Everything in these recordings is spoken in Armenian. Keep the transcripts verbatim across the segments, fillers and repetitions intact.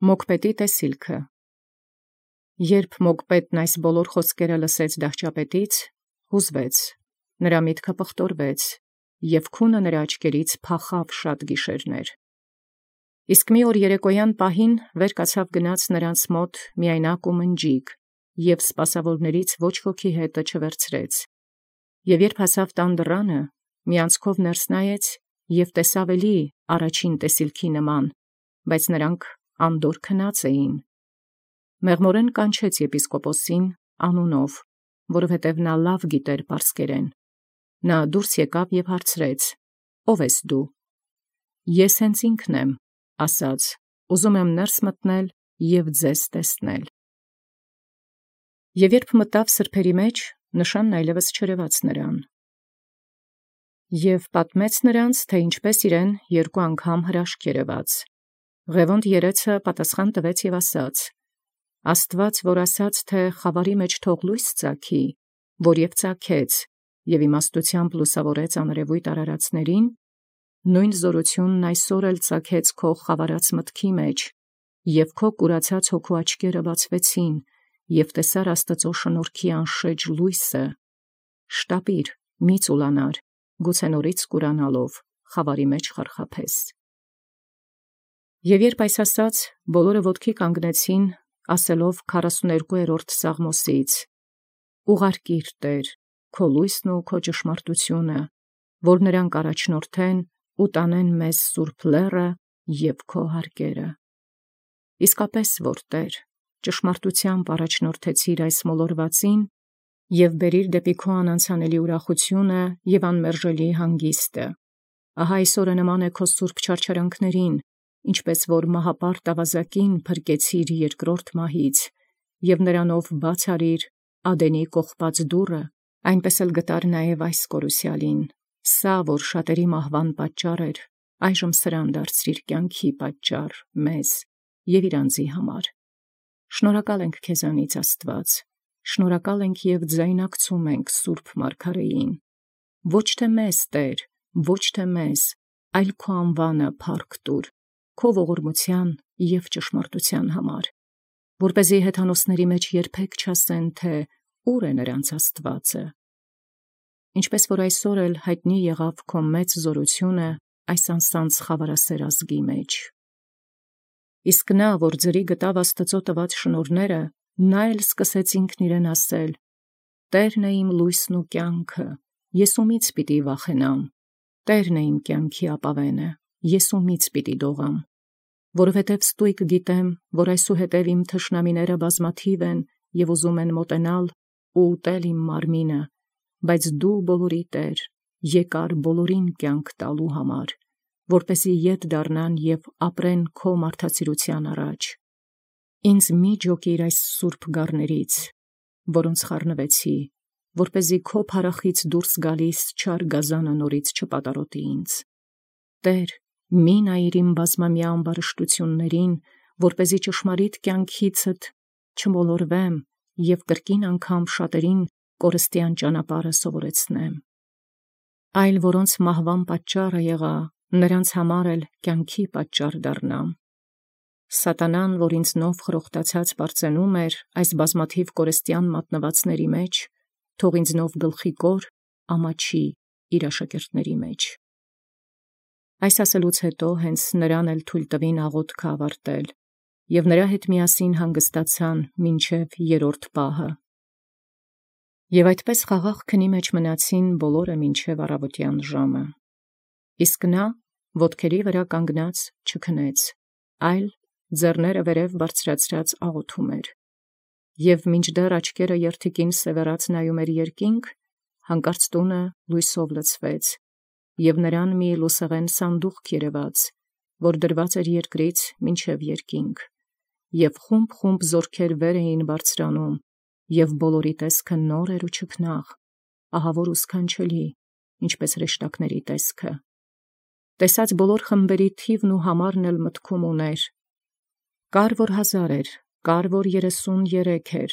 Մոգպետի տեսիլքը։ Երբ Մոգպետն այս բոլոր խոսքերը լսեց դահճապետից, հուզվեց, նրա միտքը պղտորվեց, և քունը նրա աչքերից փախավ շատ գիշերներ։ Իսկ մի օր երեկոյան պահին վեր կացավ գնաց նրանց մոտ միայնակ ու մնջիկ, և սպասավորներից ոչ ոքի հետը չվերցրեց։ Եվ երբ հասավ տան դռանը, մի անցքով ներս նայեց և տեսավ էլի առաջին տեսիլքի նման, բայց նրանք անդորր քնած էին։ Մեղմորեն կանչեց եպիսկոպոսին անունով, որովհետև նա լավ գիտեր պարսկերեն։ Նա դուրս եկավ և հարցրեց. «Ո՞վ ես դու»։ «Ես հենց ինքն եմ», ասաց, «ուզում եմ ներս մտնել և ձեզ տեսնել»։ Եվ երբ մտավ սրբերի մեջ, նշանն այլևս չերևաց նրան։ Եւ պատմեց նրանց, թե ինչպես իրեն երկու անգամ հրաշք երևաց։ Ղևոնդ երեցը պատասխան տվեց և ասաց. «Աստված, որ ասաց, թե խավարի մեջ թող լույս ծագի, որ և ծագեց, և իմաստությամբ լուսավորեց աներևույթ արարածներին, նույն զորությունն այսօր էլ ծագեց քո խավարած մտքի մեջ, և քո կուրացած հոգու աչքերը բացվեցին, և տեսար Աստծո շնորհքի անշեջ լույսը։ Շտապիր, մի ծուլանար, գուցե նորից կուրանալով խավարի մեջ խարխափես»։ Եվ երբ այս ասաց, բոլորը ոտքի կանգնեցին, ասելով քառասուներկուերորդ Սաղմոսից. «Ուղարկիր, Տեր, քո լույսն ու քո ճշմարտությունը, որ նրանք առաջնորդեն ու տանեն մեզ սուրբ լեռը և քո հարկերը»։ Իսկապես որ Տեր, ճշմարտությամբ առաջնորդեցիր այս մոլորվածին և բերիր դեպի քո անանցանելի ուրախությունը և անմերժելի հանգիստը։ Ահա այսօրը նման է քո սուրբ չարչարանքներին, ինչպես որ մահապարտ ավազակին փրկեցիր երկրորդ մահից, և նրանով բաց արիր Ադենի կողպած դուռը, այնպես էլ գտար նաև այս կորուսյալին, սա, որ շատերի մահվան պատճառ էր, այժմ սրան դարձրիր կյանքի պատճառ մեզ և իր անձի համար։ Շնորհակալ ենք քեզանից, Աստված, շնորհակալ ենք և ձայնակցում ենք Սուրբ Մարգարեին։ Ոչ թե մեզ, Տեր, ոչ թե մեզ, այլ քո անվանը փառք տուր, քո ողորմության և ճշմարտության համար, որպեսզի հեթանոսների մեջ երբեք չասեն, թե ո՞ւր է նրանց Աստվածը։ Ինչպես որ այսօր էլ հայտնի եղավ քո մեծ զորությունը այս անսանձ խավարասեր ազգի մեջ։ Իսկ նա, որ ձրի գտավ Աստծո տված շնորհները, նա էլ սկսեց ինքն իրեն ասել. «Տերն է իմ լույսն ու կյանքը, ես ումից պիտի վախենամ, Տերն է իմ կյանքի ապավենը, ես ումից պիտի դողամ, որովհետև ստույգ գիտեմ, որ այսուհետև իմ թշնամիները բազմաթիվ են և ուզում են մոտենալ ու ուտել իմ մարմինը, բայց դու բոլորի Տեր, եկար բոլորին կյանք տալու համար, որպեսզի ետ դառնան և ապրեն քո մարդասիրության առաջ։ Ինձ մի ջոկիր այս սուրբ գառներից, որոնց խառնվեցի, որպեսզի քո փառախից դուրս գալիս չար գազանը նորից չպատառոտի ինձ։ Տեր, մի նայիր իմ բազմամյա ամբարշտություններին, որպեսզի ճշմարիտ կյանքիցդ չմոլորվեմ և կրկին անգամ շատերին կորստյան ճանապարհը սովորեցնեմ։ Այլ որոնց մահվան պատճառը եղա, նրանց համար էլ կյանքի պատճառ դառնամ։ Սատանան, որ ինձնով խրոխտացած պարծենում էր այս բազմաթիվ կորստյան մատնվածների մեջ, թող ինձնով գլխի կոր ամաչի իր աշակերտների մեջ։ Այս ասելուց հետո հենց նրան էլ թույլ տվին աղոթքը ավարտել, և նրա հետ միասին հանգստացան մինչև երրորդ պահը։ Եվ այդպես խաղաղ քնի մեջ մնացին բոլորը մինչև առավոտյան ժամը։ Իսկ նա ոտքերի վրա կանգնած չքնեց, այլ ձեռները վերև բարձրացրած աղոթում էր։ Եվ մինչդեռ աչքերը երթիկին սևեռած նայում էր երկինք, հանկարծ տունը լույսով լցվեց, և նրան մի լուսեղեն սանդուղք երևաց, որ դրված էր երկրից մինչև երկինք, և խումբ-խումբ զորքեր վեր էին բարձրանում, և բոլորի տեսքը նոր էր ու չքնաղ, ահավոր ու սքանչելի, ինչպես հրեշտակների տեսքը։ Տեսած բոլոր խմբերի թիվն ու համարն էլ մտքում ուներ. կար, որ հազար էր, կար, որ երեսուն երեք էր,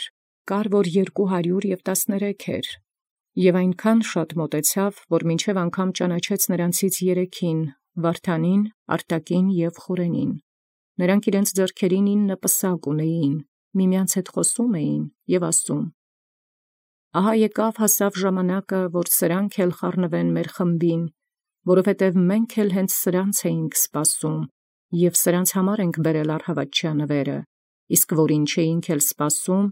կար, որ երկու հարյուր և տասներեք էր, և այնքան շատ մոտեցավ, որ մինչև անգամ ճանաչեց նրանցից երեքին՝ Վարդանին, Արտակին և Խորենին։ Նրանք իրենց ձեռքերին ինը պսակ ունեին, միմյանց հետ խոսում էին և ասում. «Ահա եկավ հասավ ժամանակը, որ սրանք էլ խառնվեն մեր խմբին, որովհետև մենք էլ հենց սրանց էինք սպասում, և սրանց համար ենք բերել առհավատչյա նվերը, իսկ որին չէինք էլ սպասում,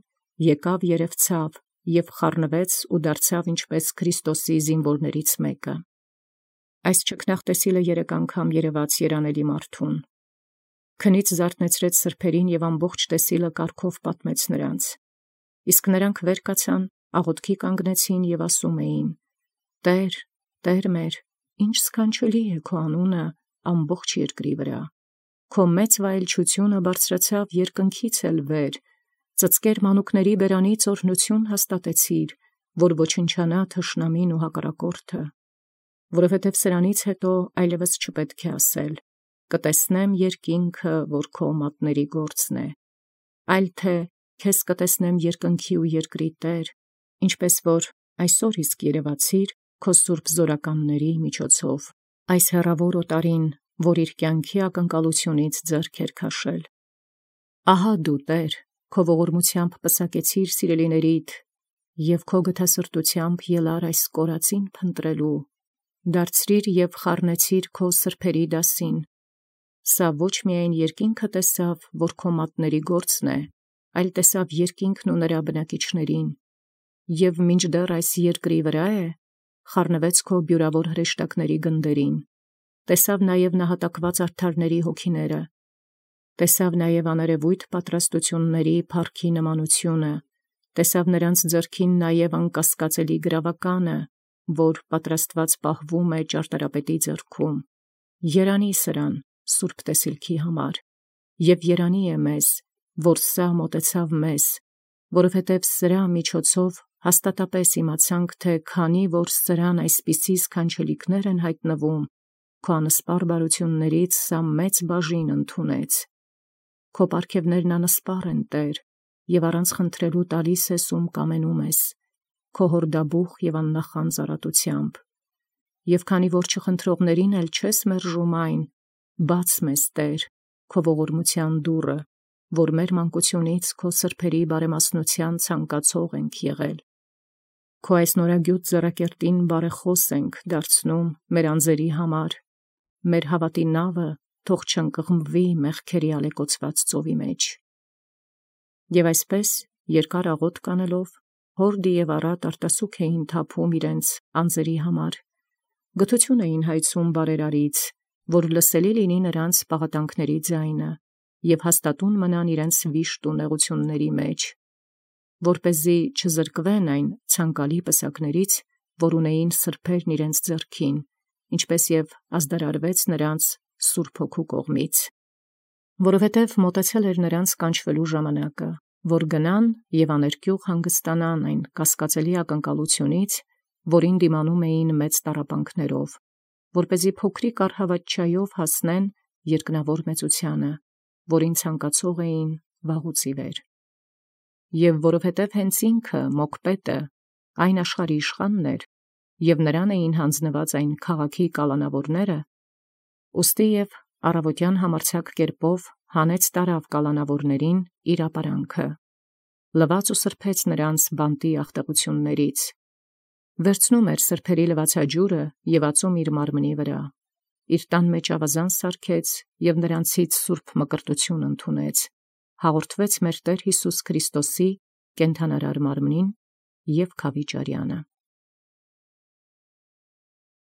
եկավ երևցավ և խառնվեց ու դարձավ ինչպես Քրիստոսի զինվորներից մեկը»։ Այս ճգնաղտեսիլը երեք անգամ երևաց երանելի մարդուն։ Քնից զարթնեցրեց սրբերին և ամբողջ տեսիլը կարգով պատմեց նրանց։ Իսկ նրանք վեր կացան, աղոթքի կանգնեցին և ասում էին. «Տե՛ր, Տեր մեր, ինչ սքանչելի է քո անունը ամբողջ երկրի վրա։ Քո մեծ վայելչությունը բարձրացավ երկնքից էլ վեր, ծծկեր մանուկների բերանից օրհնություն հաստատեցիր, որ ոչնչանա թշնամին ու հակառակորդը։ Որովհետև սրանից հետո այլևս չպետք է ասել. կտեսնեմ երկինքը, որ քո մատների գործն է, այլ թե քեզ կտեսնեմ երկնքի ու երկրի Տեր, ինչպես որ այսօր իսկ երևացիր քո սուրբ զորականների միջոցով, այս հեռավոր օտարին, որ իր կյանքի ակնկալությունից ձեռք էր քաշել։ Ահա դու, Տեր, քո ողորմությամբ պսակեցիր սիրելիներիդ և քո գթասրտությամբ ելար այս կորածին փնտրելու, դարձրիր և խառնեցիր քո սրբերի դասին։ Սա ոչ միայն երկինքը տեսավ, որ քո մատների գործն է, այլ տեսավ երկինքն ու նրա բնակիչներին, և մինչդեռ այս երկրի վրա է, խառնվեց քո բյուրավոր հրեշտակների գնդերին, տեսավ նաև նահատակված արդարների հոգիները, տեսավ նաև աներևույթ պատրաստությունների փառքի նմանությունը, տեսավ նրանց ձեռքին նաև անկասկածելի գրավականը, որ պատրաստված պահվում է ճարտարապետի ձեռքում։ Երանի սրան, սուրբ տեսիլքի համար, և երանի է մեզ, որ սա մոտեցավ մեզ, որովհետև սրա միջոցով հաստատապես իմացանք, թե քանի որ սրան այսպիսի սքանչելիքներ են հայտնվում, քո անսպառ բարություններից սա մեծ բաժին ընդունեց։ Քո պարգևներն անսպառ են, Տեր, և առանց խնդրելու տալիս ես ում կամենում ես, քո հորդաբուխ և աննախանձ առատությամբ։ Եվ քանի որ չխնդրողներին էլ չես մերժում այն, բաց մեզ, Տեր, քո ողորմության դուռը, որ մեր մանկությունից քո սրբերի բարեմասնության ցանկացող ենք եղել։ Քո այս նորագյուտ ձեռակերտին բարեխոս ենք դարձնում մեր անձերի համար, մեր հավատի նավը թող չընկղմվի մեղքերի ալեկոծված ծովի մեջ։ Եվ այսպես, երկար աղոթք անելով, հորդի և առատ արտասուք էին թափում իրենց անձերի համար, գթություն էին հայցում բարերարից, որ լսելի լինի նրանց պաղատանքների ձայնը, և հաստատուն մնան իրենց վիշտ ու նեղությունների մեջ, որպեսզի չզրկվեն այն ցանկալի պսակներից, որ ունեին սրբերն իրենց ձեռքին, ինչպես և ազդարարվեց նրանց Սուրբ Հոգու կողմից։ Որովհետև մոտեցել էր նրանց կանչվելու ժամանակը, որ գնան և աներկյուղ հանգստանան այն կասկածելի ակնկալությունից, որին դիմանում էին մեծ տառապանքներով, որպեսզի փոքրիկ առհավատչայով հասնեն երկնավոր մեծությանը, որին ցանկացող էին վաղուց ի վեր։ Եվ որովհետև հենց ինքը Մոկպետը այն աշխարհի իշխանն էր, և նրան էին հանձնված այն քաղաքի կալանավորները, ուստի և առավոտյան համարձակ կերպով հանեց տարավ կալանավորներին իր ապարանքը, լվաց ու սրբեց նրանց բանտի ախտեղություններից, վերցնում էր սրբերի լվացաջուրը և ածում իր մարմնի վրա, իր տան մեջ ավազան սարքեց և նրանցից սուրբ մկրտություն ընդունեց, հաղորդվեց մեր Տեր Հիսուս Քրիստոսի կենդանարար մարմնին և քավիճ արյանը։